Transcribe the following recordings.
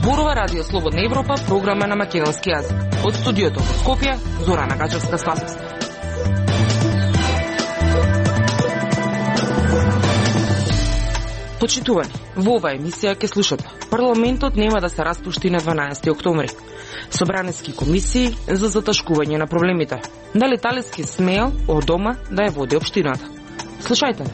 Зборува Радио Слободна Европа, програма на македонски јазик. Од студиото во Скопје, Зорана Гачевска-Спасовска. Почитувани, во оваа емисија ќе слушате. Парламентот нема да се распушти на 12 октомври. Собраниски комисии за заташкување на проблемите. Дали Талески смеел од дома да ја води општината? Слушајте.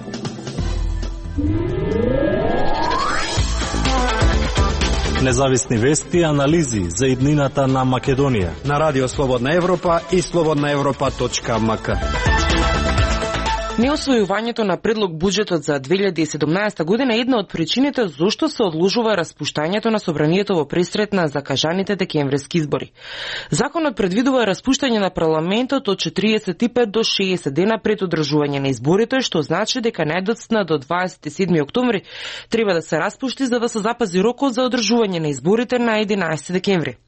Независни вести и анализи за иднината на Македонија на Радио Слободна Европа и slobodnaevropa.mk. Неосвојувањето на предлог буџетот за 2017 година е една од причините зошто се одложува распуштањето на собранието во пресрет на закажаните декемвриски избори. Законот предвидува распуштање на парламентот од 45 до 60 дена пред одржување на изборите, што значи дека најдоцна до 27 октомври треба да се распушти за да се запази рокот за одржување на изборите на 11 декември.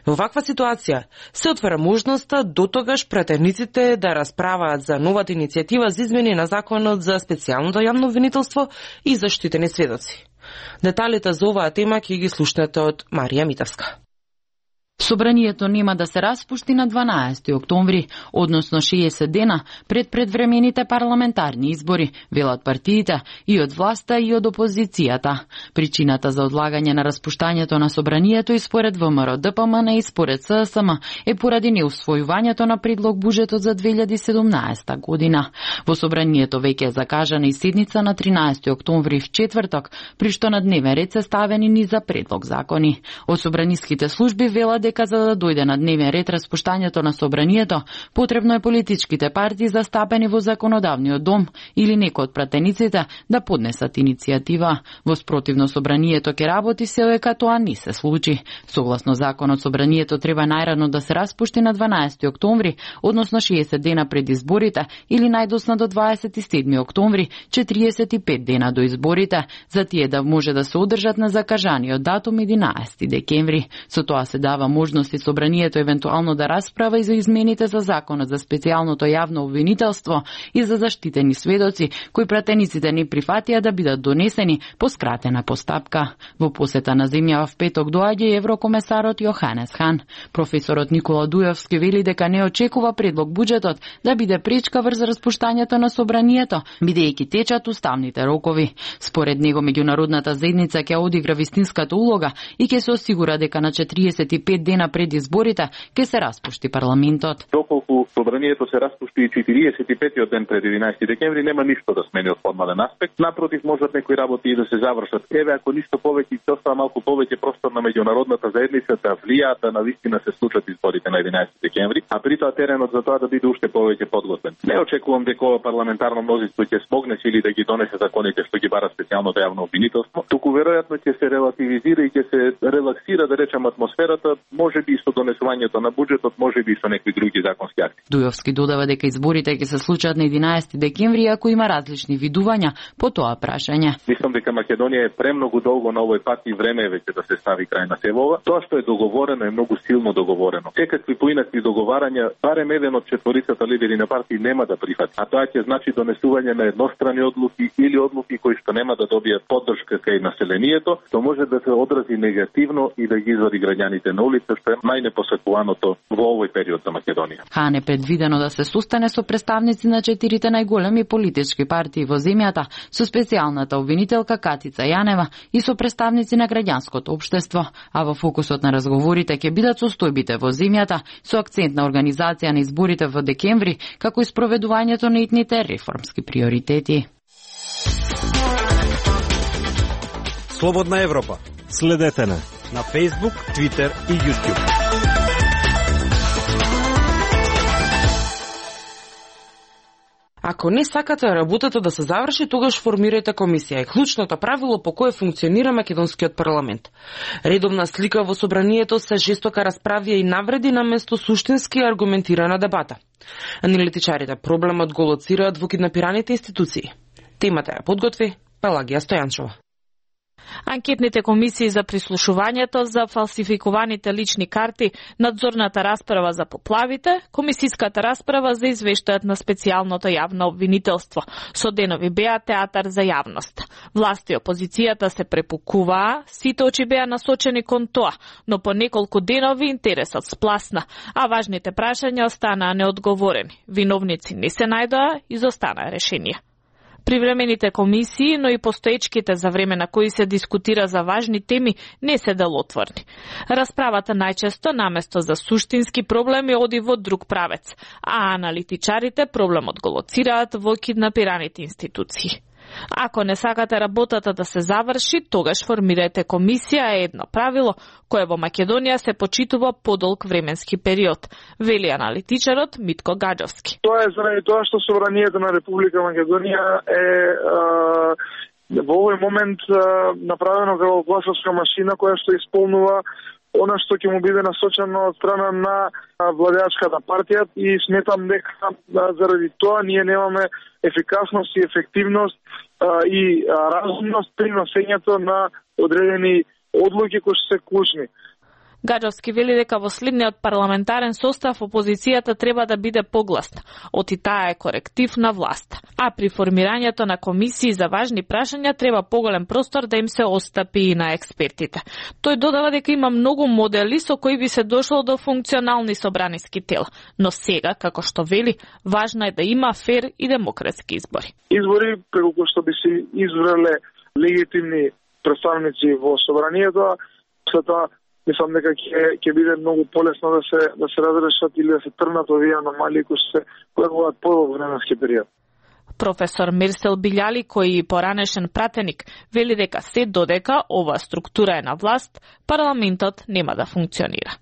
Во ваква ситуација се отвара можноста дотогаш пратениците да расправаат за новата иницијатива за измени на законот за специјалното јавно обвинителство и заштитени сведоци. Деталите за оваа тема ќе ги слушнете од Марија Митевска. Собранието нема да се распушти на 12 октомври, односно 60 дена пред предвремените парламентарни избори, велат партиите и од власта и од опозицијата. Причината за одлагање на распуштањето на собранието и според ВМРО ДПМН и според ССМ е поради неусвојувањето на предлог буџетот за 2017 година. Во собранието веќе е закажана и седница на 13 октомври в четврток, при што на дневен ред се ставени низ за предлог закони. Од собраниските служби велат дека за да дојде на дневен ред распуштањето на собранието, потребно е политичките партии застапени во законодавниот дом или некој од пратениците да поднесат иницијатива. Во спротивно собранието ќе работи се дека тоа не се случи. Согласно законот, собранието треба најрано да се распушти на 12 октомври, односно 60 дена пред изборите или најдосна до 27 октомври, 45 дена до изборите, за тие да може да се одржат на закажаниот датум 11 декември. Со тоа се дава можности собранието евентуално да расправа и за измените за законот за специјалното јавно обвинителство и за заштитени сведоци, кои пратениците не прифатија да бидат донесени по скратена постапка. Во посета на земја в петок доаѓа еврокомесарот Јоханес Хан. Професорот Никола Дујовски вели дека не очекува предлог буџетот да биде пречка врз распуштањето на собранието, бидејќи течат уставните рокови. Според него меѓународната заедница ќе одигра вистинската улога и ќе се осигура дека на 45 дена пред изборите ќе се распушти парламентот. Доколку собранието се распушти 45-тиот ден пред 11 декември, нема ништо да смени од формален аспект. Напротив, можат некои работи и да се завршат. Еве, ако ништо повеќе, ќе остава малку повеќе простор на меѓународната заедница да влијаат да навистина се случат изборите на 11 декември, а при тоа теренот за тоа да биде уште повеќе подготвен. Не очекувам дека ова парламентарно мнозинство ќе смогне или да ги донесе законите што ги бара специјалното јавно обвинителство, туку веројатно ќе се релативизира и ќе се релаксира, да речем, атмосферата, можеби и со донесувањето на буџетот, можеби и со некои други законски акти. Дујовски додава дека изборите ќе се случат на 11 декември, ако има различни видувања по тоа прашање. Мислам дека Македонија е премногу долго на овој пат и време е веќе да се стави крај на сево ова. Тоа што е договорено е многу силно договорено. Секакви поинакви договарања, барем еден од четворицата лидери на партии нема да прифати. А тоа ќе значи донесување на еднострани одлуки или одлуки кои што нема да добијат поддршка кај населението, што може да се одрази негативно и да ги извади граѓаните на улица, што е најнепосакуваното во овој период за Македонија. Хан е предвидено да се сустане со представници на 4 најголеми политички партии во земјата, со специјалната обвинителка Катица Јанева и со представници на граѓанското општество, а во фокусот на разговорите ќе бидат состојбите во земјата со акцент на организација на изборите во декември, како и спроведувањето на итните реформски приоритети. Слободна Европа. Следете на Facebook, Twitter и YouTube. Ако не сакате работата да се заврши, тогаш формирајте комисија. Е клучното правило по кое функционира македонскиот парламент. Редовна слика во собранието се жестока расправија и навреди на место суштински аргументирана дебата. Аналитичарите проблемот го лоцираат во киднапираните институции. Темата ја подготви Пелагија Стојанчова. Анкетните комисии за прислушувањето за фалсификуваните лични карти, надзорната расправа за поплавите, комисиската расправа за извештајот на специјалното јавно обвинителство, со денови беа театар за јавност. Власт и опозицијата се препукуваа, сите очи беа насочени кон тоа, но по неколку денови интересот спласна, а важните прашања останаа неодговорени. Виновници не се најдоа, изостанаа решенија. Привремените комисии, но и постоечките за време на кои се дискутира за важни теми, не се делотворни. Расправата најчесто, наместо за суштински проблеми, оди во друг правец, а аналитичарите проблемот го лоцираат во киднапираните институции. Ако не сакате работата да се заврши, тогаш формирајте комисија е едно правило, кое во Македонија се почитува подолг временски период, вели аналитичарот Митко Гаджовски. Тоа е заради тоа што собранието на Република Македонија е во овој момент направено како гласовска машина која што исполнува она што ќе му биде насочено од страна на владеачката партија и сметам дека заради тоа ние немаме ефикасност и ефективност и разумност при носењето на одредени одлуки кои се клучни. Гаджовски вели дека во следниот парламентарен состав опозицијата треба да биде погласна, оти таа е коректив на власт. А при формирањето на комисии за важни прашања треба поголем простор да им се остапи и на експертите. Тој додава дека има многу модели со кои би се дошло до функционални собраниски тела, но сега, како што вели, важно е да има фер и демократски избори. Избори преку што би се избрале легитимни представници во собранието, се тоа мислам дека ќе биде многу полесно да се разрешат или да се тргнат овие аномалии кои се појавуваат по временски период. Професор Мирсел Билјали, кој и поранешен пратеник, вели дека се додека ова структура е на власт, парламентот нема да функционира.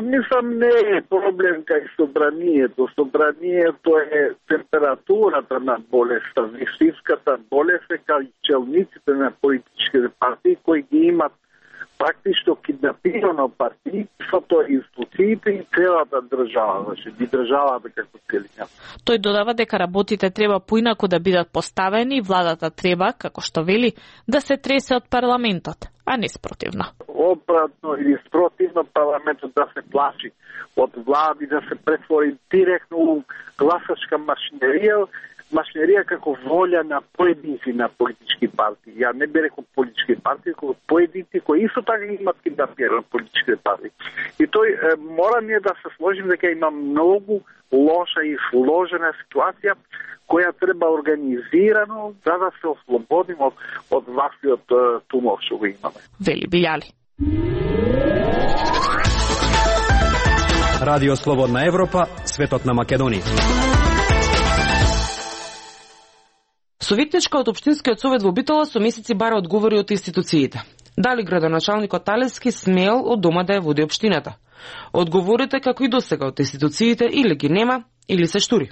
Мислам не е проблем кај собранието. Собранието е температурата на болеста, вистинската болест е кај челниците на политичките партии кои ги имат практично киднапирано партијството, институциите и целата држава, значи и државата како целина. Тој додава дека работите треба поинаку да бидат поставени и владата треба, како што вели, да се тресе од парламентот, а не спротивно. Обратно или спротивно парламентот да се плаши од влади, да се претвори директно у гласачка машинерија како волја на поединци на политички партии. Ја не би рекол политички партии, како поединци кои исто така имат киднапирани политички партии. И тој мора ние да се сложим дека има многу лоша и сложена ситуација која треба организирано за да се ослободим од ваквиот тумор што го имаме. Вели Билјали. Радио Слободна Европа, светот на Македонија. Советничка од Општинскиот совет во Битола со месеци бара одговори од институциите. Дали градоначалникот Талевски смел од дома да ја води општината? Одговорите како и досега од институциите или ги нема, или се штури.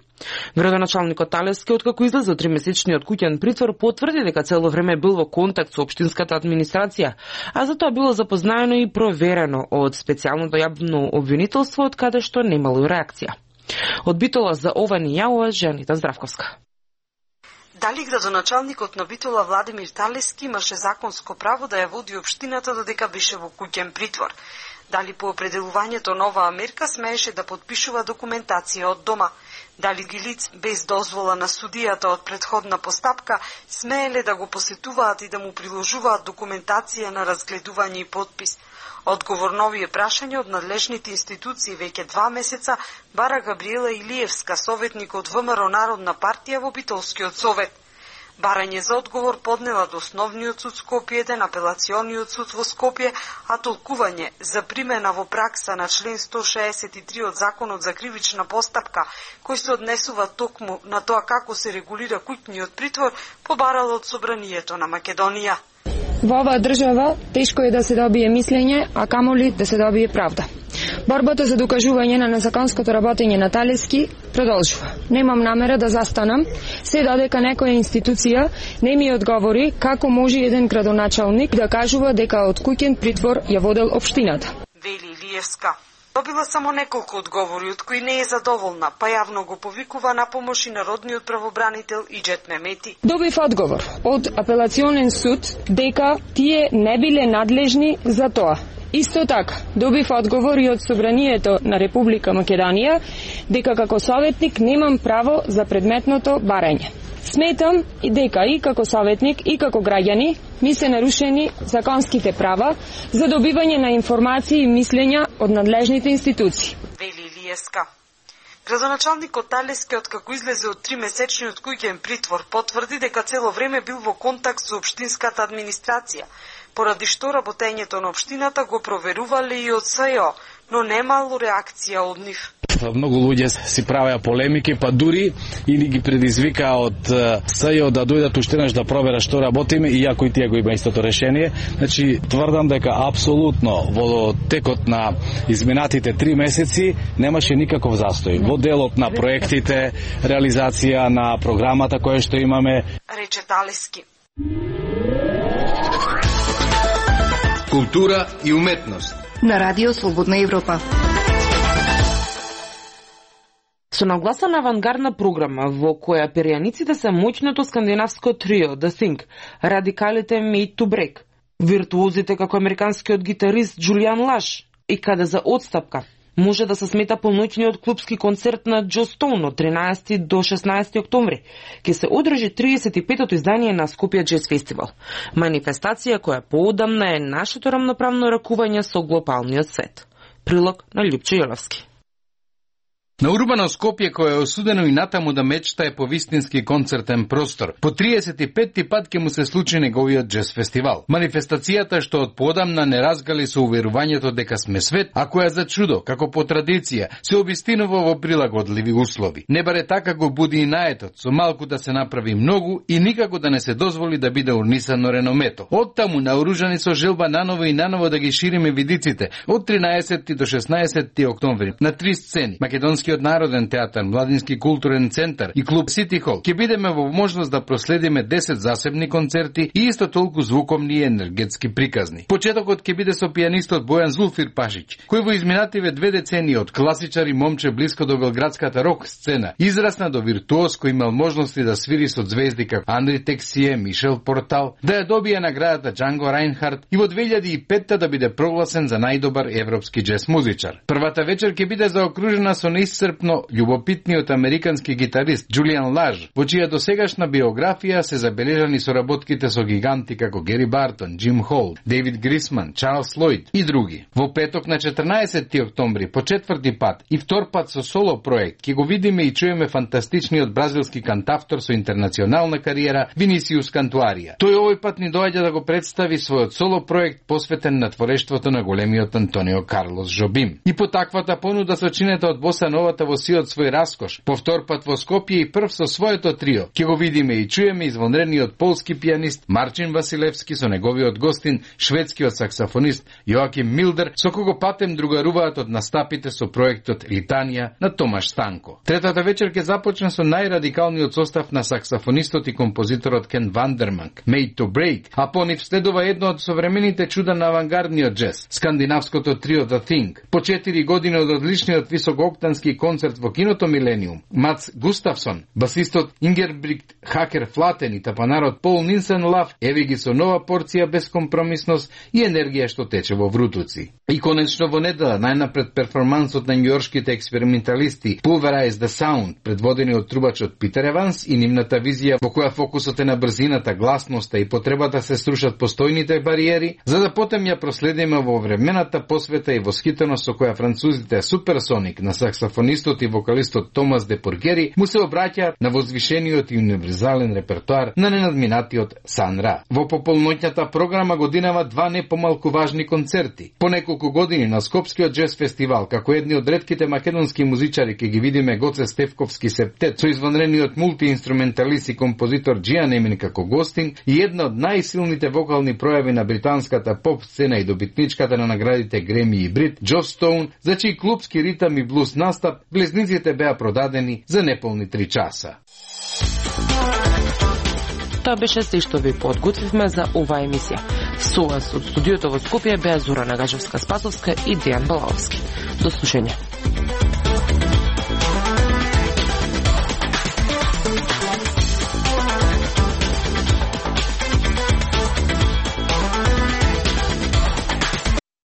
Градоначалникот Талевски, откако излезе од 3-месечниот куќен притвор, потврди дека цело време бил во контакт со општинската администрација, а за тоа било запознаено и проверено од специјалното јавно обвинителство, од каде што немало реакција. Од Битола за ова ни јавува Жанита Здравковска. Дали градоначалникот на Битола Владимир Талевски имаше законско право да ја води општината додека беше во куќен притвор? Дали по определувањето на оваа мерка смееше да подпишува документација од дома? Дали ги лиц без дозвола на судијата од претходна постапка смееле да го посетуваат и да му приложуваат документација на разгледување и подпис? Одговор на овие прашања од надлежните институции веќе 2 месеца бара Габриела Илиевска, советник од ВМРО Народна партија во Битолскиот совет. Барање за одговор поднела до Основниот суд Скопје, еден апелациониот суд во Скопје, а толкување за примена во пракса на член 163 од Законот за кривична постапка, кој се однесува токму на тоа како се регулира куќниот притвор, побарало од Собранието на Македонија. Во оваа држава тешко е да се добие мислење, а камоли да се добие правда. Борбата за докажување на незаконското работење на Талевски продолжува. Немам намера да застанам, се додека некоја институција не ми одговори како може еден градоначалник да кажува дека од куќен притвор ја водел општината. Вели Илиевска. Добила само неколку одговори, од кои не е задоволна, па јавно го повикува на помош и народниот правобранител Иџет Мемети. Добив одговор од апелационен суд дека тие не биле надлежни за тоа. Исто така, добив одговор и од Собранието на Република Македонија дека како советник немам право за предметното барање. Сметам и дека и како советник и како граѓани ми се нарушени законските права за добивање на информации и мислења од надлежните институции. Вели Илиеска. Градоначалникот Талески, откако излезе од 3-месечниот куќен притвор, потврди дека цело време бил во контакт со општинската администрација, поради што работењето на општината го проверувале и од СЈО, но немало реакција од нив. Многу луѓе си правеа полемики, па дури или ги предизвика од СЈО да дојдат уштенаш да проверат што работиме, иако и тие го има истото решение. Значи, тврдам дека апсолутно во текот на изминатите 3 месеци немаше никаков застој. Во делот на проектите, реализација на програмата која што имаме, рече Талески. Култура и уметност на Радио Слободна Европа. Со нагласа на авангардна програма во која перијаниците се моќното скандинавско трио The Thing, радикалите Made to Break, виртуозите како американскиот гитарист Джулиан Лаш и каде за одстапка може да се смета полноќниот клубски концерт на Джо Стоун од 13 до 16 октомври, ќе се одржи 35-тото издание на Скопје Джез Фестивал. Манифестација која поодамна е нашето рамноправно ракување со глобалниот свет. Прилог на Љупчо Јоловски. На урбано Скопје, кој е осудено и натаму да мечтае по вистински концертен простор, по 35-ти пат ќе му се случи неговиот джез фестивал. Манифестацијата што од поодамна не разгали со уверувањето дека сме свет, а која за чудо, како по традиција, се обистинува во прилагодливи услови. Не баре така го буди и наетот, со малку да се направи многу и никако да не се дозволи да биде урнисано реномето. Оттаму наоружани со желба наново и наново да ги шириме видиците од 13 до 16 октомври на 3 сцени: Македонскиот народен театар, Младински културен центар и клуб Сити Хол. Ќе бидеме во можност да проследиме 10 засебни концерти и исто толку звуковни и енергетски приказни. Почетокот ќе биде со пијанистот Бојан Зулфир Пашич, кој во изминативе 2 децении од класичар и момче блиско до белградската рок сцена израсна до виртуоз кој имал можности да свири со звезди како Андри Тексие, Мишел Портал, да ја добие наградата Джанго Райнхард и во 2005 да биде прогласен за најдобар европски джез музичар. Првата вечер ќе биде заокружена со неисцрпно љубопитниот американски гитарист Джулиан Лаж, во чија досегашна биографија се забележани соработките со гиганти како Гери Бартон, Джим Холл, Дейвид Грисман, Чарлс Лойд и други. Во петок на 14 октомври по 4 пат и втор пат со соло проект ќе го видиме и чуеме фантастичниот бразилски кантавтор со интернационална кариера Винисиус Кантуарија. Тој овој пат ни доаѓа да го представи својот соло проект посветен на творештвото на големиот Антонио Карлос Жобим. И по таквата понуда сочинета од боса новата во сиот свој раскош, по втор пат во Скопје и прв со своето трио, ќе го видиме и чуеме извонредниот полски пијанист Марчин Василевски со неговиот гостин, шведскиот саксофонист Јоаким Милдер, со кого патем другаруваат од настапите со проектот Литанија на Томаш Станко. Третата вечер ќе започне со најрадикалниот состав на саксофонистот и композиторот Кен Вандерманк, Made to Break, а по нив следува едно од современите чуда на авангардниот джез, скандинавското трио The Thing. По 4 години од одличниот високооктански концерт во киното Милениум, Мац Густавсон, басистот Ингербригт Хакер Флатен и тапанарот Пол Нинсен Лав еви ги со нова порција безкомпромисност и енергија што тече во врутуци. И конечно во недела најнапред перформансот на њујоршките експерименталисти Pulverize the Sound, предводени од трубачот Питер Еванс и нивната визија во која фокусот е на брзината, гласноста и потребата се струшат постојните бариери, за да потем ја проследиме во времената посвета и восхитеност со која французите Суперсоник на саксофонистот и вокалистот Томас де Пургери му се обраќаат на возвишениот и универзален репертоар на ненадминатиот Сан Ра. Во пополноќната програма годинава 2 не помалку важни концерти. По неколку години на Скопскиот джез фестивал, како едни од ретките македонски музичари ќе ги видиме Гоце Стефковски септет со извонредниот мултиинструменталист и композитор Джиан Емин како гостин и една од најсилните вокални пројави на британската поп сцена и добитничката на наградите Греми и Брит, Джо Стоун, за чиј клубски ритам и блуз настап влезниците беа продадени за неполни 3 часа. Тоа беше се што ви подготвивме за оваа емисија. Со вас од студиото во Скопје беа Зора Нагажевска-Спасовска и Дејан Балаовски. До слушање.